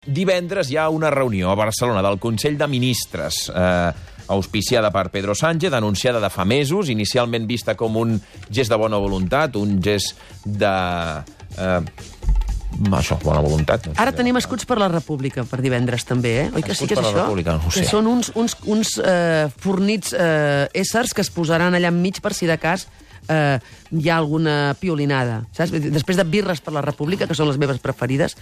Divendres hi ha una reunió a Barcelona del Consell de Ministres, auspiciada per Pedro Sánchez, anunciada de fa mesos, inicialment vista com un gest de bona voluntat, un gest de... bona voluntat. Ara tenim escuts per la República per divendres, també, eh? Oi que sí que és això? No ho sé. Que són uns fornits éssers que es posaran allà enmig per si de cas hi ha alguna piolinada, saps? Després de birres per la República, que són les meves preferides,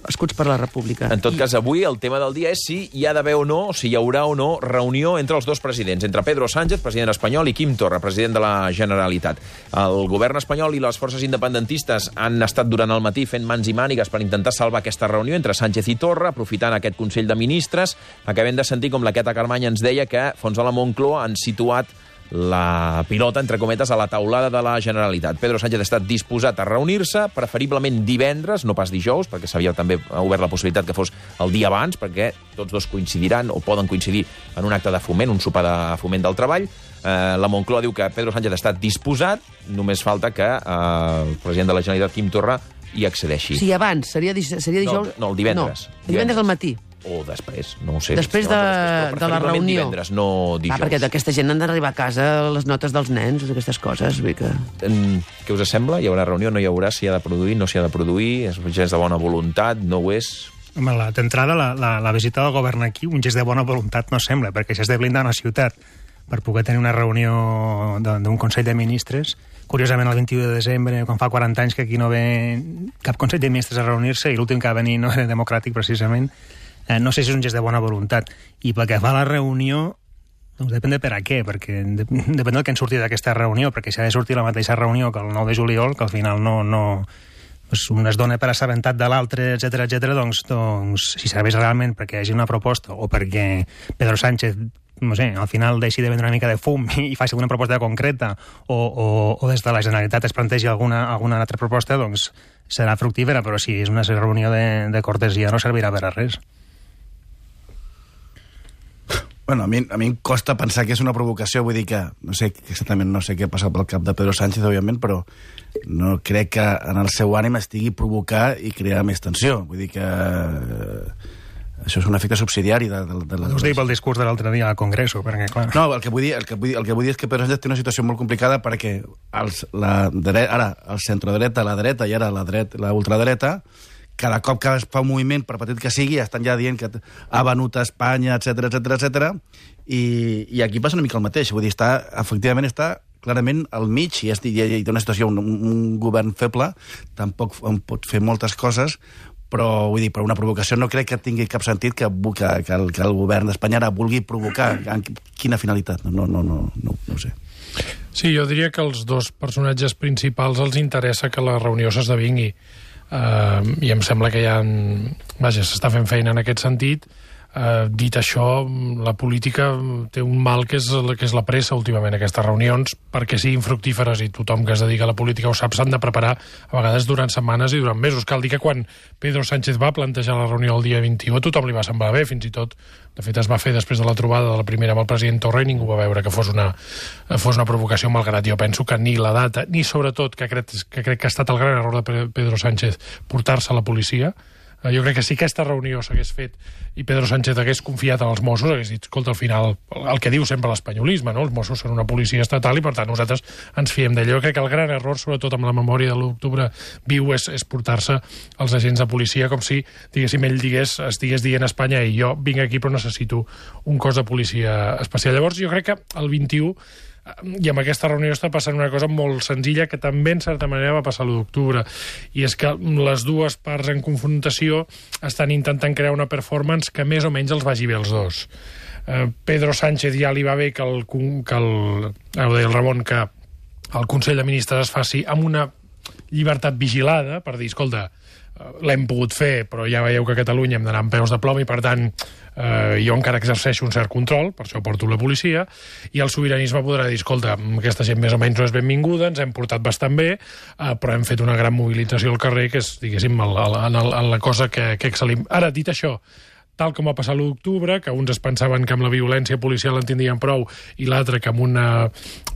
escuts per la República. En tot cas, avui el tema del dia és si hi ha d'haver o no, o si hi haurà o no reunió entre els dos presidents, entre Pedro Sánchez, president espanyol, i Quim Torra, president de la Generalitat. El govern espanyol i les forces independentistes han estat durant el matí fent mans i mànigues per intentar salvar aquesta reunió entre Sánchez i Torra, aprofitant aquest Consell de Ministres. Acabem de sentir com la Queta Carmany ens deia que fons de la Moncloa han situat la pilota, entre cometes, a la taulada de la Generalitat. Pedro Sánchez ha estat disposat a reunir-se, preferiblement divendres, no pas dijous, perquè s'havia també obert la possibilitat que fos el dia abans, perquè tots dos coincidiran o poden coincidir en un acte de foment, un sopar de foment del treball. La Moncloa diu que Pedro Sánchez ha estat disposat, només falta que el president de la Generalitat, Quim Torra, hi accedeixi. Sí, abans, seria dijous... No, el divendres. No, divendres al matí. O després, no ho sé. Després de la reunió. Divendres, no dijous. Perquè aquesta gent han d'arribar a casa les notes dels nens, aquestes coses. Que... Què us sembla? Hi haurà reunió, no hi haurà? Si hi ha de produir, no s'hi ha de produir? És un gest de bona voluntat? No ho és? Home, d'entrada, la visita del govern aquí, un gest de bona voluntat no sembla, perquè si has de blindar una ciutat per poder tenir una reunió d'un Consell de Ministres, curiosament el 21 de desembre, quan fa 40 anys que aquí no ve cap Consell de Ministres a reunir-se, i l'últim que va venir no era democràtic, precisament, no sé si és un gest de bona voluntat. I pel que fa a la reunió, doncs depèn de per a què, perquè depèn del que en surti d'aquesta reunió, perquè si ha de sortir la mateixa reunió que el 9 de juliol, que al final doncs un es dona per assabentat de l'altre, etcètera, doncs si serveix realment perquè hi hagi una proposta o perquè Pedro Sánchez, no sé, al final deixi de vendre una mica de fum i faci alguna proposta concreta o des de la Generalitat es plantegi alguna altra proposta, doncs serà fructífera, però si és una reunió de cortesia no servirà per a res. Bueno, a mi em costa pensar que és una provocació, vull dir que exactament no sé què passa pel cap de Pedro Sánchez, òbviament, però no crec que en el seu ànim estigui provocar i crear més tensió. Vull dir que això és un efecte subsidiari de la... Us dic pel discurs de l'altre dia al Congreso, perquè, clar... No, el que vull dir és que Pedro Sánchez té una situació molt complicada perquè ara el centrodreta, la dreta i ara la ultradreta, cada cop que es fa un moviment, per petit que sigui, estan ja dient que ha venut a Espanya, etcètera, i aquí passa una mica el mateix. Vull dir, efectivament està clarament al mig i té una situació, un govern feble, tampoc pot fer moltes coses, però vull dir, per una provocació no crec que tingui cap sentit que el govern d'Espanya ara vulgui provocar. Quina finalitat? No ho sé. Sí, jo diria que els dos personatges principals els interessa que la reunió s'esdevingui. I em sembla que s'està fent feina en aquest sentit. Dit això, la política té un mal que és la pressa últimament. Aquestes reunions, perquè siguin fructíferes, i tothom que es dedica a la política ho sap, s'han de preparar a vegades durant setmanes i durant mesos. Cal dir que quan Pedro Sánchez va plantejar la reunió el dia 21 a tothom li va semblar bé, fins i tot de fet es va fer després de la trobada de la primera amb el president Torra i ningú va veure que fos una provocació, malgrat jo penso que ni la data, ni sobretot que crec que ha estat el gran error de Pedro Sánchez portar-se a la policia. Jo crec que si aquesta reunió s'hagués fet i Pedro Sánchez hagués confiat en els Mossos, hagués dit, escolta, al final, el que diu sempre l'espanyolisme, no? Els Mossos són una policia estatal i, per tant, nosaltres ens fiem d'ell. Jo crec que el gran error, sobretot amb la memòria de l'octubre viu, és portar-se els agents de policia com si, diguéssim, ell estigués dient a Espanya i jo vinc aquí però necessito un cos de policia especial. Llavors, jo crec que el 21... i amb aquesta reunió està passant una cosa molt senzilla que també en certa manera va passar l'1 d'octubre, i és que les dues parts en confrontació estan intentant crear una performance que més o menys els vagi bé als dos. Pedro Sánchez ja li va bé que ho deia el Ramon, que el Consell de Ministres es faci amb una llibertat vigilada, per dir, escolta, l'hem pogut fer, però ja veieu que a Catalunya hem d'anar amb peus de plom i, per tant, jo encara exerceixo un cert control, per això porto la policia, i el sobiranisme podrà dir, escolta, aquesta gent més o menys no és benvinguda, ens hem portat bastant bé, però hem fet una gran mobilització al carrer, que és, diguéssim, la cosa que excel·lim. Ara, dit això, tal com va passar l'1 d'octubre, que uns es pensaven que amb la violència policial en tindrien prou i l'altre que amb una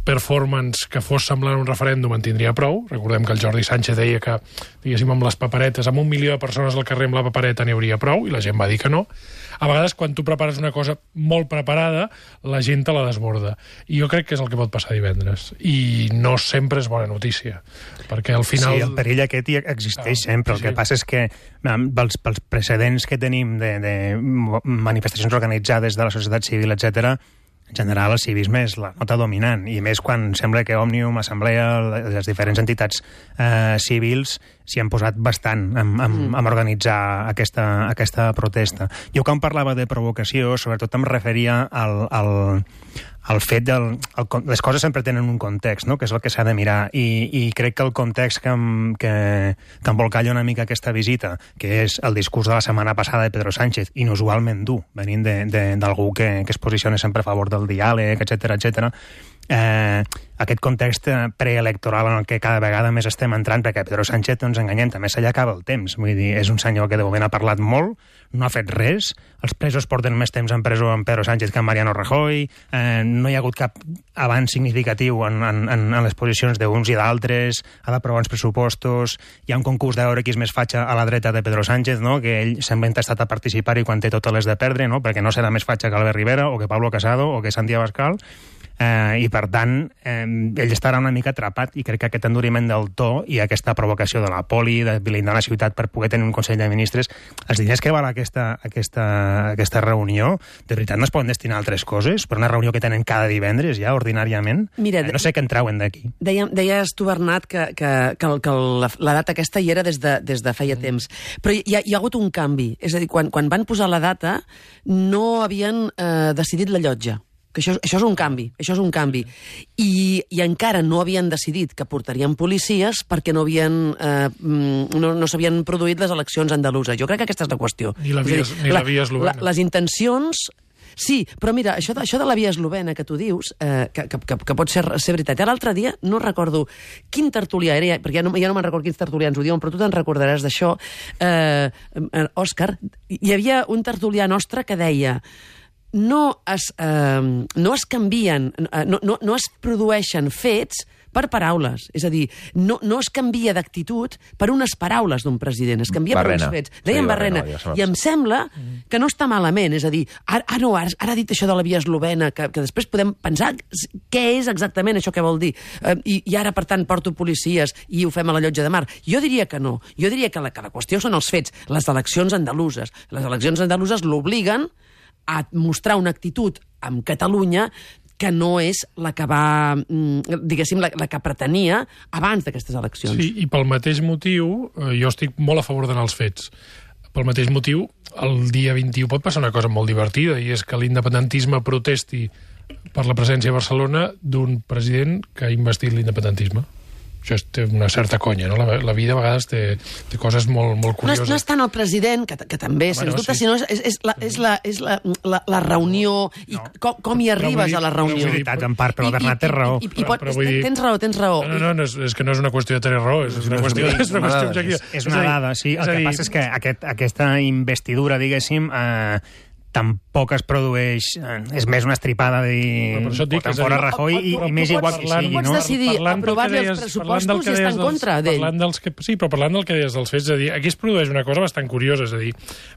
performance que fos semblant a un referèndum en tindria prou. Recordem que el Jordi Sánchez deia que, diguéssim, amb les paperetes, amb 1 milió de persones al carrer amb la papereta n'hi hauria prou, i la gent va dir que no. A vegades, quan tu prepares una cosa molt preparada, la gent te la desborda. I jo crec que és el que pot passar divendres. I no sempre és bona notícia, perquè al final... Sí, el perill aquest hi existeix sempre. El que passa és que pels precedents que tenim de manifestacions organitzades de la societat civil, etc., en general el civisme és la nota dominant, i més quan sembla que Òmnium, Assemblea, les diferents entitats civils s'hi han posat bastant a organitzar aquesta protesta. Jo quan parlava de provocació, sobretot em referia al fet les coses sempre tenen un context, no?, que és el que s'ha de mirar, i crec que el context que embolcalla una mica aquesta visita, que és el discurs de la setmana passada de Pedro Sánchez, inusualment dur, venint d'algú que es posiciona sempre a favor del diàleg, etc. Aquest context preelectoral en el que cada vegada més estem entrant, perquè Pedro Sánchez, no ens enganyem, també se li acaba el temps. Vull dir, és un senyor que de moment ha parlat molt, no ha fet res, els presos porten més temps en presó amb Pedro Sánchez que amb Mariano Rajoy, no hi ha hagut cap avanç significatiu en les posicions d'uns i d'altres, ha d'aprovar uns pressupostos, hi ha un concurs de veure qui és més fatxa a la dreta de Pedro Sánchez, no?, que ell sembla entestat a participar-hi quan té totes les de perdre, no?, perquè no serà més fatxa que Albert Rivera o que Pablo Casado o que Santi Abascal, i per tant ell estarà una mica atrapat, i crec que aquest enduriment del to i aquesta provocació de la poli, de blindar la ciutat per poder tenir un Consell de Ministres, els diners que val aquesta reunió, de veritat no es poden destinar a altres coses, per una reunió que tenen cada divendres ja, ordinàriament. Mira, no sé què en trauen d'aquí. Deies tu, Bernat, que la data aquesta hi era des de feia temps, però hi ha hagut un canvi, és a dir, quan van posar la data no havien decidit la llotja, que això és un canvi, i encara no havien decidit que portarien policies perquè no s'havien produït les eleccions andaluses. Jo crec que aquesta és la qüestió. Ni la via eslovena. Les intencions... Sí, però mira, això de la via eslovena que tu dius, que pot ser veritat. L'altre dia, no recordo quin tertulià era, perquè ja no me'n recordo quins tertulians ho diuen, però tu te'n recordaràs d'això, Òscar. Hi havia un tertulià nostre que deia: no es canvien, no es produeixen fets per paraules. És a dir, no es canvia d'actitud per unes paraules d'un president, es canvia per uns fets. Deien Barrena. I em sembla que no està malament. És a dir, ara ha dit això de la via eslovena, que després podem pensar què és exactament això que vol dir. I ara, per tant, porto policies i ho fem a la Llotja de Mar. Jo diria que no. Jo diria que la qüestió són els fets. Les eleccions andaluses. Les eleccions andaluses l'obliguen a mostrar una actitud amb Catalunya que no és la que va, diguéssim, la que pretenia abans d'aquestes eleccions. Sí, i pel mateix motiu, jo estic molt a favor d'anar als fets. Pel mateix motiu, el dia 21 pot passar una cosa molt divertida, i és que l'independentisme protesti per la presència a Barcelona d'un president que ha investit l'independentisme. Això té una certa conya, no? La vida a vegades té coses molt curioses. No és tant el president, que també, sens dubte, sinó és la reunió i com hi arribes a la reunió. En part, però Bernat té raó. Tens raó. No, és que no és una qüestió de tenir raó, és una qüestió objectiva. És una dada, sí. El que passa és que aquesta investidura, diguéssim, tampoc es produeix... És més una estripada de votar fora Rajoy i més igual que sigui, no? Pots decidir aprovar-li els pressupostos i estar en contra d'ell. Sí, però parlant del que deies dels fets, és a dir, aquí es produeix una cosa bastant curiosa, és a dir,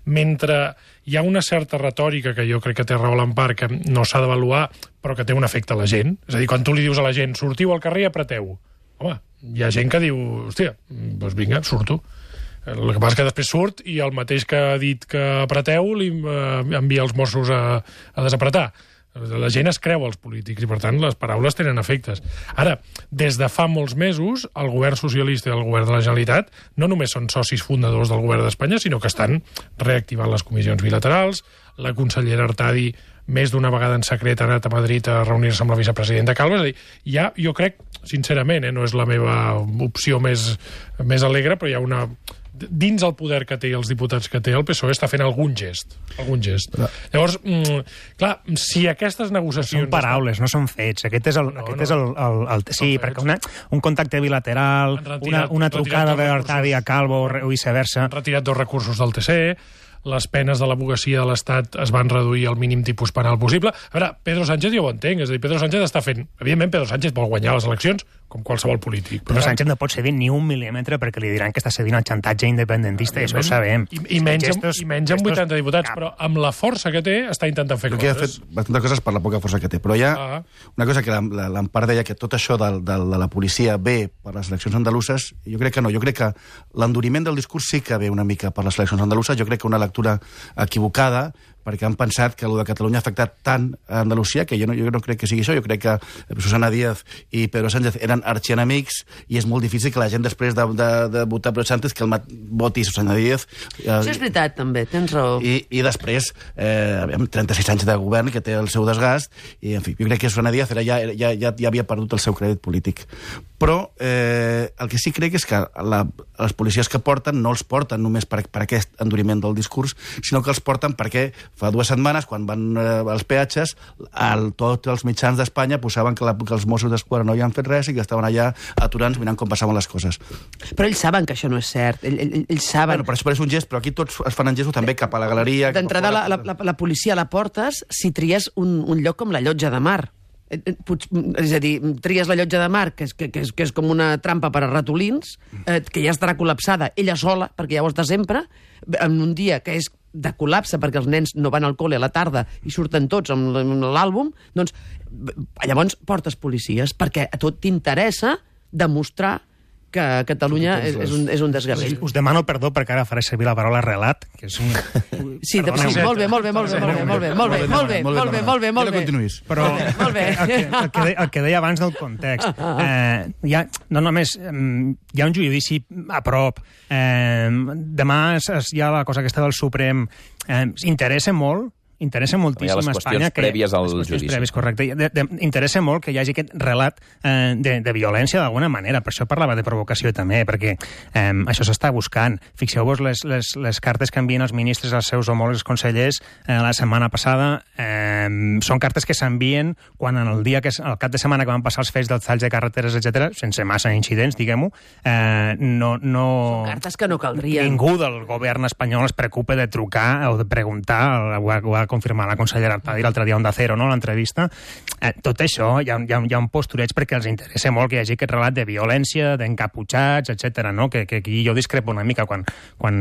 mentre hi ha una certa retòrica que jo crec que té raó l'Empar, que no s'ha d'avaluar, però que té un efecte a la gent. És a dir, quan tu li dius a la gent, sortiu al carrer i apreteu. Home, hi ha gent que diu, hòstia, doncs vinga, surto. El que passa és que després surt i el mateix que ha dit que apreteu li envia els Mossos a desapretar. La gent es creu els polítics i, per tant, les paraules tenen efectes. Ara, des de fa molts mesos, el govern socialista i el govern de la Generalitat no només són socis fundadors del govern d'Espanya, sinó que estan reactivant les comissions bilaterals. La consellera Artadi més d'una vegada en secret ha anat a Madrid a reunir-se amb la vicepresidenta Calvo. És a dir, ja, jo crec, sincerament, no és la meva opció més alegre, però hi ha una... Dins el poder que té i els diputats que té, el PSOE està fent algun gest. Llavors, clar, si aquestes negociacions... Són paraules, no són fets. Aquest és el sí, perquè un contacte bilateral, una trucada d'Artadi a Calvo o viceversa... Han retirat 2 recursos del TC, les penes de l'advocacia de l'Estat es van reduir al mínim tipus penal possible. A veure, Pedro Sánchez jo ho entenc, és a dir, Pedro Sánchez està fent... Evidentment, Pedro Sánchez vol guanyar les eleccions, com qualsevol polític. Però Sánchez no pot cedir ni un mil·límetre perquè li diran que està cedint al xantatge independentista, i això ho sabem. I menys amb 80 diputats, però amb la força que té està intentant fer coses. Ha fet bastantes coses per la poca força que té, però hi ha una cosa que l'Empar deia, que tot això de la policia ve per les eleccions andaluses, jo crec que no, jo crec que l'enduriment del discurs sí que ve una mica per les eleccions andaluses, jo crec que una lectura equivocada, perquè han pensat que el de Catalunya ha afectat tant a Andalusia, que jo no crec que sigui això. Jo crec que Susana Díaz i Pedro Sánchez eren arxienemics i és molt difícil que la gent, després de votar Pedro Sánchez, que voti Susana Díaz. Això és veritat, també, tens raó. I després, 36 anys de govern, que té el seu desgast, i, en fi, jo crec que Susana Díaz ja havia perdut el seu crèdit polític. Però el que sí crec és que les policies que porten no els porten només per aquest enduriment del discurs, sinó que els porten perquè fa 2 setmanes, quan van als peatges, tots els mitjans d'Espanya posaven que els Mossos d'Esquadra no hi han fet res i que estaven allà aturants mirant com passaven les coses. Però ells saben que això no és cert. Ells saben... Bueno, però això és un gest, però aquí tots es fan en gestos també cap a la galeria... D'entrada, la policia la portes si tries un lloc com la Llotja de Mar. És a dir, tries la Llotja de Mar, que és com una trampa per a ratolins, que ja estarà col·lapsada ella sola, perquè ja ho està sempre, en un dia que és de col·lapse perquè els nens no van al col·le a la tarda i surten tots amb l'àlbum, doncs llavors portes policies, perquè a tot t'interessa demostrar que Catalunya és un desgavell. Us demano perdó perquè ara faré servir la paraula relat, que és un... Sí, molt bé. No continuïs. Però el que deia abans del context, no només hi ha un judici a prop, demà hi ha la cosa aquesta del Suprem, interessa moltíssim a Espanya... Les qüestions prèvies al judici. Correcte. Interessa molt que hi hagi aquest relat de violència d'alguna manera. Per això parlava de provocació també, perquè això s'està buscant. Fixeu-vos les cartes que envien els ministres als seus homòlegs consellers la setmana passada. Són cartes que s'envien quan el cap de setmana que van passar els fets dels talls de carreteres, etc, sense massa incidents, diguem-ho, Són cartes que no caldrien. Ningú del govern espanyol es preocupa de trucar o de preguntar, ho ha confirmar la consellera Artadi l'altre dia a Onda Cero, no?, l'entrevista. Tot això hi ha un postureig perquè els interessa molt que hi hagi aquest relat de violència, d'encaputxats, etc. no? Que aquí jo discrepo una mica quan o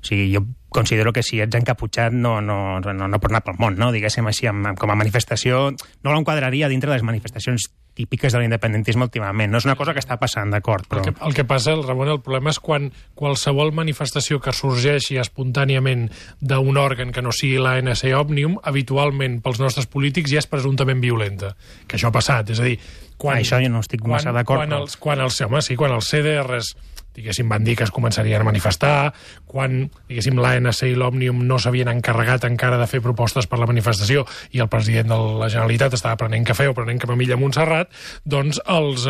sigui, jo considero que si ets encaputxat no pot anar pel món, no? Diguéssim així, com a manifestació, no l'enquadraria dintre de les manifestacions típiques de l'independentisme últimament. No és una cosa que està passant, d'acord, però... El que passa, Ramon, el problema és quan qualsevol manifestació que sorgeixi espontàniament d'un òrgan que no sigui l'ANC Òmnium, habitualment pels nostres polítics ja és presumptament violenta. Que això ha passat, és a dir... Això jo no estic massa d'acord. Quan els CDRs diguéssim, van dir que es començarien a manifestar, quan, diguéssim, l'ANC i l'Òmnium no s'havien encarregat encara de fer propostes per la manifestació i el president de la Generalitat estava prenent cafè o prenent camamilla a Montserrat, doncs els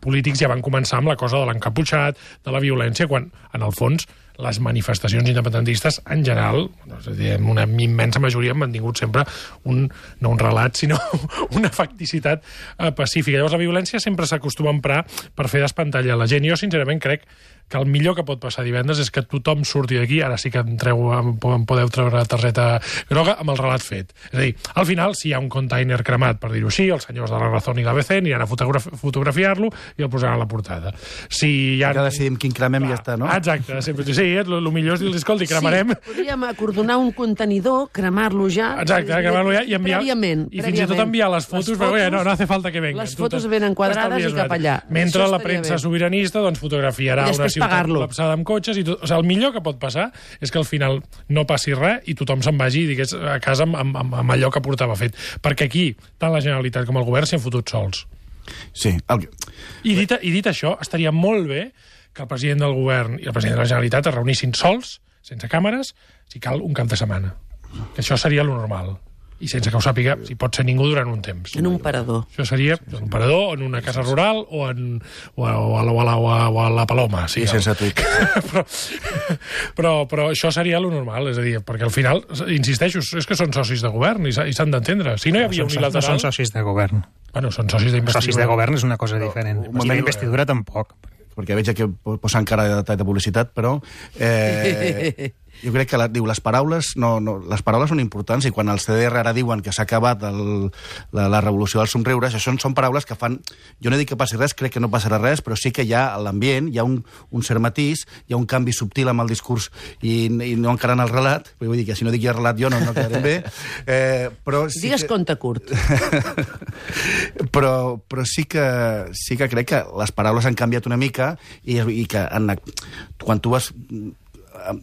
polítics ja van començar amb la cosa de l'encaputxat, de la violència, quan, en el fons, les manifestacions independentistes, en general, en una immensa majoria, han mantingut sempre no un relat, sinó una facticitat pacífica. Llavors, la violència sempre s'acostuma a emprar per fer despantallar la gent. Jo, sincerament, crec que el millor que pot passar divendres és que tothom surti d'aquí, ara sí que em podeu treure la targeta groga, amb el relat fet. És a dir, al final, si hi ha un container cremat, per dir-ho així, els senyors de la Razón i l'ABC aniran a fotografiar-lo i el posaran a la portada. Si hi ha... Ja decidim quin cremem i ja està, no? Exacte, sempre. Sí, el millor és dir, escolti, cremarem... Sí, podríem acordonar un contenidor, cremar-lo ja... Exacte, cremar-lo ja i enviar... Prèviament. I fins i tot enviar les fotos, perquè no hace falta que venga. Les fotos ben enquadrades i cap allà. Mentre la premsa sobiranista doncs fotografiarà una ciutat col·lapsada amb cotxes i tot. O sigui, el millor que pot passar és que al final no passi res i tothom se'n vagi, digués, a casa amb allò que portava fet. Perquè aquí, tant la Generalitat com el govern s'hi han fotut sols. Sí. I dit això, estaria molt bé que el president del govern i el president de la Generalitat es reunissin sols, sense càmeres, si cal, un cap de setmana. Que això seria lo normal. I sense que ho sàpiga, si pot ser ningú durant un temps. En un parador. Això seria en un parador, en una casa rural o a la Paloma. Sí, i sense tuit. però això seria lo normal, és a dir, perquè al final, insisteixo, és que són socis de govern i s'han d'entendre. Si no hi havia unilateral... No són socis de govern. Bueno, són socis d'investidura. Socis de govern és una cosa diferent. I d'investidura tampoc. Perquè veig que posen cara de detall de publicitat, però... Jo crec que les paraules són importants, i quan els CDR ara diuen que s'ha acabat la revolució dels somriures, això són paraules que fan... Jo no dic que passi res, crec que no passarà res, però sí que hi ha l'ambient, hi ha un cert matís, hi ha un canvi subtil amb el discurs i no encara en el relat, vull dir que si no dic ja relat jo no quedarem bé, però... Sí digues conte curt. però sí que crec que les paraules han canviat una mica i que quan tu vas...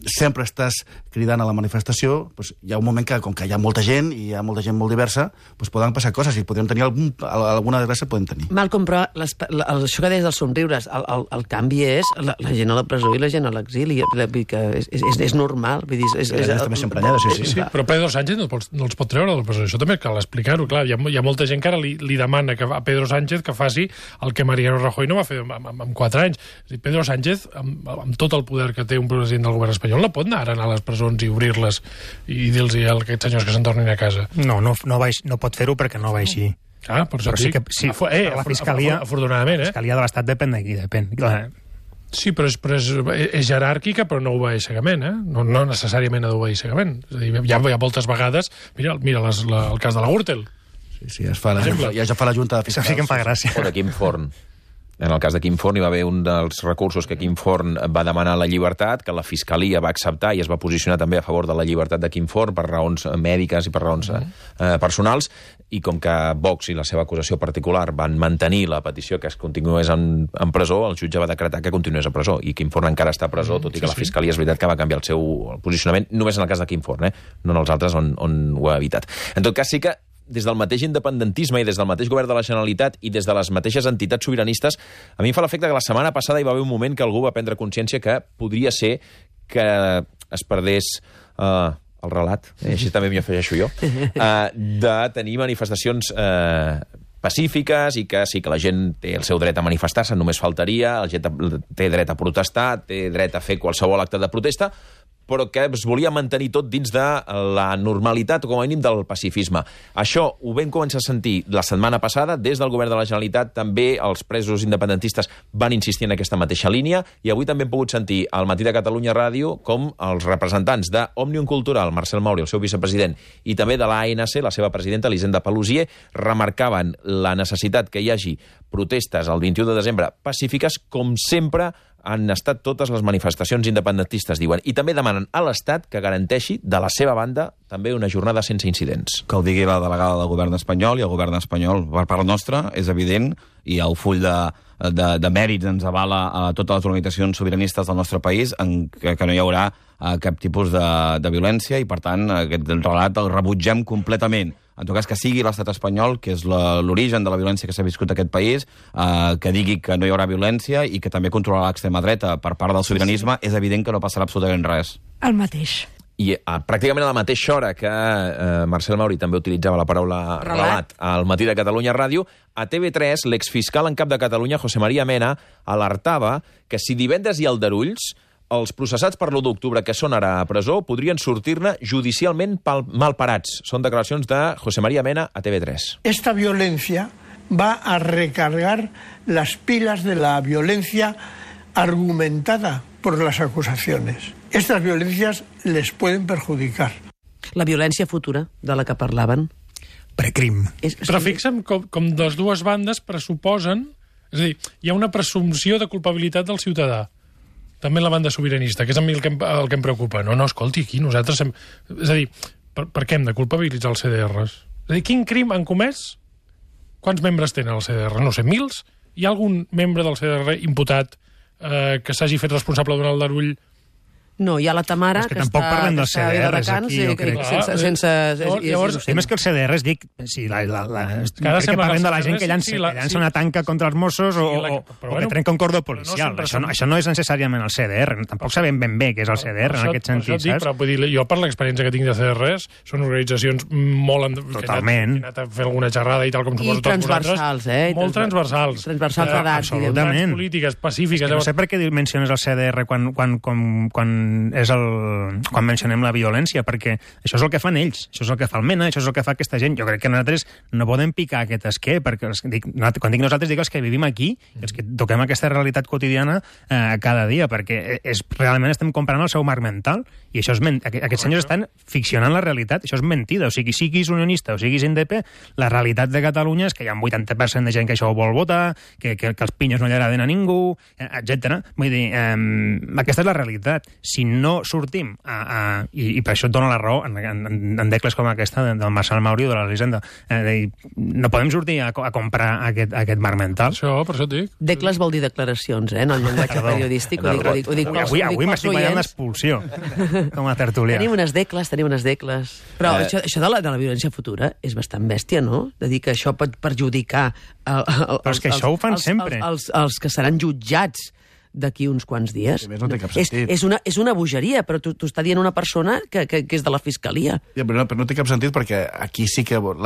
sempre estàs cridant a la manifestació, doncs hi ha un moment que, com que hi ha molta gent, i hi ha molta gent molt diversa, doncs poden passar coses, i podríem tenir alguna desgràcia, podem tenir. Malcolm, però això que deies dels somriures, el canvi és la gent a la presó i la gent a l'exili, és normal. Està més emprenyada, sí. Però Pedro Sánchez no els pot treure de la presó, això també cal explicar-ho. Clar, hi ha molta gent que ara li demana a Pedro Sánchez que faci el que Mariano Rajoy no va fer en 4 anys. Pedro Sánchez, amb tot el poder que té un president del govern espanyol, no pot anar a les presons i obrir-les i dir-los a aquests senyors que se'n tornin a casa. No pot fer-ho perquè no va així. Ah, per això sí que la Fiscalia... Afortunadament, La Fiscalia de l'Estat depèn d'aquí, depèn. Sí, però és jeràrquica, però no obeeix cegament, eh? No necessàriament ha d'obeir cegament. És a dir, hi ha moltes vegades... Mira el cas de la Gürtel. Sí, ja fa la Junta de Fiscals. Això sí que em fa gràcia. O de Quim Forn. En el cas de Quim Forn hi va haver un dels recursos que Quim Forn va demanar la llibertat, que la Fiscalia va acceptar i es va posicionar també a favor de la llibertat de Quim Forn per raons mèdiques i per raons personals, i com que Vox i la seva acusació particular van mantenir la petició que es continués en presó, el jutge va decretar que continués a presó, i Quim Forn encara està a presó, tot i que la Fiscalia és veritat que va canviar el seu posicionament, només en el cas de Quim Forn, no en els altres on ho ha evitat. En tot cas, sí que des del mateix independentisme i des del mateix govern de la Generalitat i des de les mateixes entitats sobiranistes, a mi em fa l'efecte que la setmana passada hi va haver un moment que algú va prendre consciència que podria ser que es perdés el relat, així també m'hi afegeixo jo, de tenir manifestacions pacífiques i que sí que la gent té el seu dret a manifestar-se, només faltaria, la gent té dret a protestar, té dret a fer qualsevol acte de protesta, però que es volia mantenir tot dins de la normalitat, o com a mínim del pacifisme. Això ho vam començar a sentir la setmana passada, des del govern de la Generalitat, també els presos independentistes van insistir en aquesta mateixa línia, i avui també hem pogut sentir al Matí de Catalunya Ràdio com els representants d'Òmnium Cultural, Marcel Mauri, el seu vicepresident, i també de l'ANC, la seva presidenta, Elisenda Paluzie, remarcaven la necessitat que hi hagi protestes el 21 de desembre pacífiques, com sempre han estat totes les manifestacions independentistes, diuen, i també demanen a l'Estat que garanteixi, de la seva banda, també una jornada sense incidents. Que ho digui la delegada del govern espanyol, i el govern espanyol, per part nostra, és evident, i el full de mèrits ens avala a totes les organitzacions sobiranistes del nostre país, que no hi haurà cap tipus de violència, i per tant aquest relat el rebutgem completament. En tot cas, que sigui l'estat espanyol, que és l'origen de la violència que s'ha viscut en aquest país, que digui que no hi haurà violència i que també controlarà l'extrema dreta per part del sobiranisme, és evident que no passarà absolutament res. El mateix. I pràcticament a la mateixa hora que Marcel Mauri també utilitzava la paraula relat al Matí de Catalunya Ràdio, a TV3 l'exfiscal en cap de Catalunya, José María Mena, alertava que si divendres hi ha aldarulls, els processats per l'1 d'octubre que són ara a presó podrien sortir-ne judicialment malparats. Són declaracions de José María Mena a TV3. Esta violencia va a recargar las pilas de la violencia argumentada por las acusaciones. Estas violencias les pueden perjudicar. La violència futura de la que parlaven. Precrim. Però fixa'm com les dues bandes pressuposen... És a dir, hi ha una presumpció de culpabilitat del ciutadà. També la banda sobiranista, que és a mi el que em preocupa. No, escolti, aquí nosaltres... És a dir, per què hem de culpabilitzar els CDRs? És a dir, quin crim han comès? Quants membres tenen el CDR? No sé, 1.000? Hi ha algun membre del CDR imputat que s'hagi fet responsable d'un aldarull? No, hi ha la Tamara, que tampoc parlem dels CDRs aquí, jo crec. Més que els CDRs, dic, sí, crec que parlem de la gent que llança una tanca contra els Mossos o que trenca un cordó policial. Això no és necessàriament el CDR, tampoc sabem ben bé què és el CDR en aquest sentit, saps? Però jo, per l'experiència que tinc de CDRs, són organitzacions molt... Totalment. Que han anat a fer alguna xerrada i tal, com suposo tots vosaltres. Molt transversals. Transversals d'edat. Absolutament. Polítiques, pacífiques. No sé per què menciones el CDR quan quan mencionem la violència, perquè això és el que fan ells, això és el que fa el MENA, això és el que fa aquesta gent. Jo crec que nosaltres no podem picar aquest esquer, perquè quan dic nosaltres dic els que vivim aquí, els que toquem aquesta realitat quotidiana cada dia, perquè realment estem comparant el seu marc mental, i això és aquests senyors estan ficcionant la realitat, això és mentida. O sigui, siguis unionista o siguis indep, la realitat de Catalunya és que hi ha un 80% de gent que això ho vol votar, que els pinyos no li agraden a ningú, etc. Vull dir, aquesta és la realitat. Si no sortim, i per això et dono la raó en decles com aquesta del Marçal Mauri o de l'Elisenda, no podem sortir a comprar aquest marc mental. Per això et dic. Decles vol dir declaracions, no el llenguatge periodístic. Avui m'estic ballant l'expulsió, com a tertulià. Tenim unes decles. Però això de la violència futura és bastant bèstia, no? De dir que això pot perjudicar però és que això ho fan sempre. Els que seran jutjats d'aquí uns quants dies. A més, no té cap sentit. És una bogeria, però t'ho està dient una persona que és de la Fiscalia. Ja, però no té cap sentit perquè aquí sí que... Vull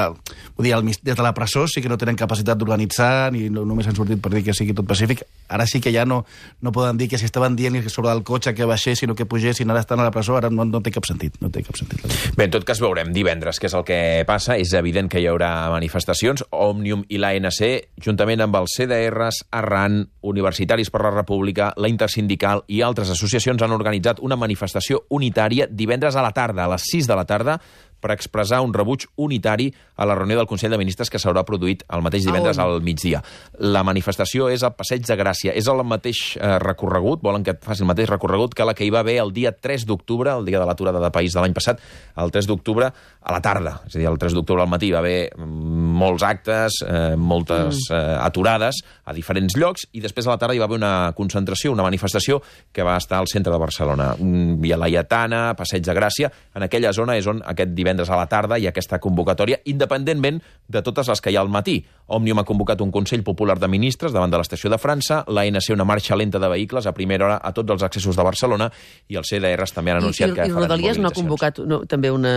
dir, des de la presó sí que no tenen capacitat d'organitzar, ni només han sortit per dir que sigui tot pacífic. Ara sí que ja no poden dir que si estaven dient que sobre el cotxe que baixessin o que pugessin, ara estan a la presó, ara no té cap sentit. No té cap sentit. Bé, en tot cas veurem divendres què és el que passa. És evident que hi haurà manifestacions. Òmnium i l'ANC, juntament amb els CDRs, Arran, Universitaris per la República, la Intersindical i altres associacions han organitzat una manifestació unitària divendres a la tarda, a les 6 de la tarda, per expressar un rebuig unitari a la reunió del Consell de Ministres que s'haurà produït el mateix divendres al migdia. La manifestació és al Passeig de Gràcia. És el mateix recorregut, volen que faci el mateix recorregut que la que hi va haver el dia 3 d'octubre, el dia de l'aturada de país de l'any passat, el 3 d'octubre a la tarda. És a dir, el 3 d'octubre al matí va haver molts actes, moltes aturades a diferents llocs, i després a la tarda hi va haver una concentració, una manifestació que va estar al centre de Barcelona. Via Laietana, Passeig de Gràcia. En aquella zona és on aquest divendres a la tarda hi ha aquesta convocatòria, independentment de totes les que hi ha al matí. Òmnium ha convocat un Consell Popular de Ministres davant de l'Estació de França, l'ANC una marxa lenta de vehicles a primera hora a tots els accessos de Barcelona, i els CDRs també han anunciat que faran Rodalies no ha convocat també una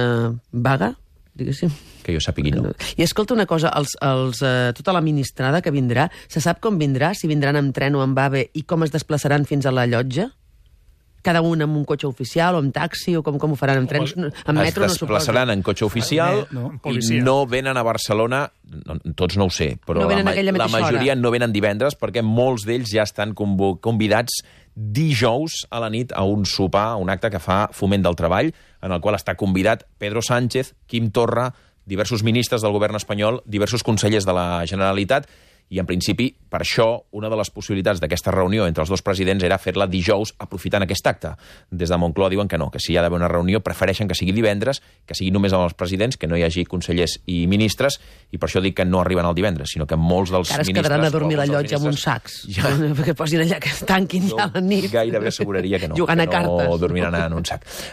vaga? Diguéssim. Que jo sàpigui, no. I escolta una cosa, tota la ministrada que vindrà, se sap com vindrà? Si vindran amb tren o amb AVE, i com es desplaçaran fins a la llotja? Cada un amb un cotxe oficial o amb taxi, o com ho faran amb trens? Amb metro no suposo. Es desplaçaran en cotxe oficial i no venen a Barcelona, tots no ho sé, però la majoria no venen divendres perquè molts d'ells ja estan convidats dijous a la nit a un sopar, un acte que fa Foment del Treball, en el qual està convidat Pedro Sánchez, Quim Torra, diversos ministres del govern espanyol, diversos consellers de la Generalitat, i en principi, per això, una de les possibilitats d'aquesta reunió entre els dos presidents era fer-la dijous aprofitant aquest acte. Des de Moncloa diuen que no, que si hi ha d'haver una reunió prefereixen que sigui divendres, que sigui només amb els presidents, que no hi hagi consellers i ministres, i per això dic que no arriben el divendres, sinó que molts dels ministres... Ara es quedaran a dormir a la llotja amb uns sacs, perquè posin allà que es tanquin ja a la nit. Gairebé asseguraria que no, jugant a cartes. No dormiran en un sac.